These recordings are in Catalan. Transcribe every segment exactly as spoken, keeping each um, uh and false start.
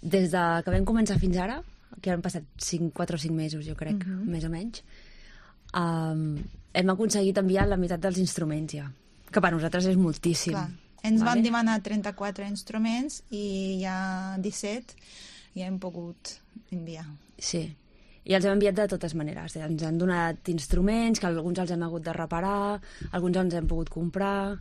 des de que vam començar fins ara, que han passat quatre o cinc mesos, jo crec, uh-huh. més o menys, um, hem aconseguit enviar la meitat dels instruments ja, que per nosaltres és moltíssim. Clar. Ens vale? van demanar trenta-quatre instruments i ja disset ja hem pogut enviar. Sí, i els hem enviat de totes maneres. Ens han donat instruments, que alguns els hem hagut de reparar, alguns els hem pogut comprar,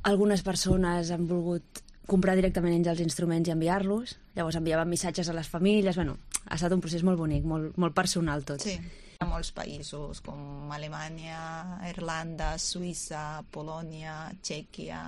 algunes persones han volgut comprar directament ells els instruments i enviar-los, llavors enviaven missatges a les famílies, bueno, ha estat un procés molt bonic, molt, molt personal tot. Sí. A molts països com Alemanya, Irlanda, Suïssa, Polònia, Txèquia,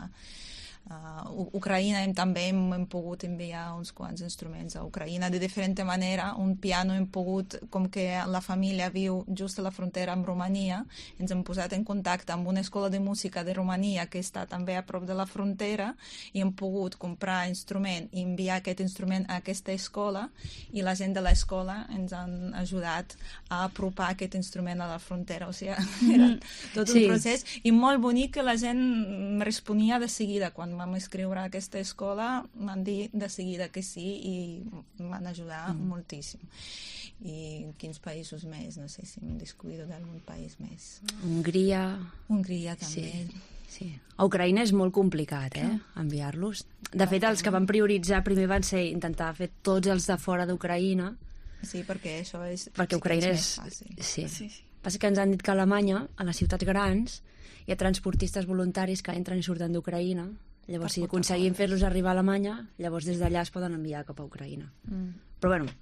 uh, Ucraïna hem, també hem, hem pogut enviar uns quants instruments a Ucraïna de diferent manera. Un piano hem pogut, com que la família viu just a la frontera amb Romania, ens hem posat en contacte amb una escola de música de Romania que està també a prop de la frontera i hem pogut comprar instrument i enviar aquest instrument a aquesta escola i la gent de l'escola ens han ajudat a apropar aquest instrument a la frontera, o sigui, era tot un sí. procés i molt bonic que la gent responia de seguida. Quan vam escriure a aquesta escola m'han dit de seguida que sí i m'han ajudat mm. moltíssim. I quins països més? No sé si em descuido d'algun país més. Hongria... Hongria també. Sí. Sí. A Ucraïna és molt complicat, eh, enviar-los. De fet, els que van prioritzar primer van ser intentar fer tots els de fora d'Ucraïna. Sí, perquè això és... Perquè Ucraïna és... fàcil. Sí. Sí, sí. Passa que ens han dit que a Alemanya, a les ciutats grans, hi ha transportistes voluntaris que entren i surten d'Ucraïna. Llavors, si aconseguim fer-los arribar a Alemanya, llavors des d'allà es poden enviar cap a Ucraïna. Mm. Però bueno,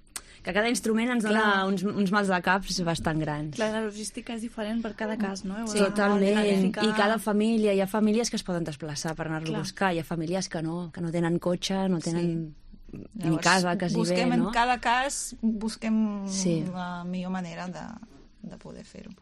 que cada instrument ens dona uns, uns mals de caps bastant grans. Clar, la logística és diferent per cada cas, no? Sí, totalment. I cada família, hi ha famílies que es poden desplaçar per anar-lo a buscar, hi ha famílies que no, que no tenen cotxe, no tenen... Sí. Ni Llavors, casa, quasi busquem bé, no? En cada cas busquem sí. la millor manera de, de poder fer-ho.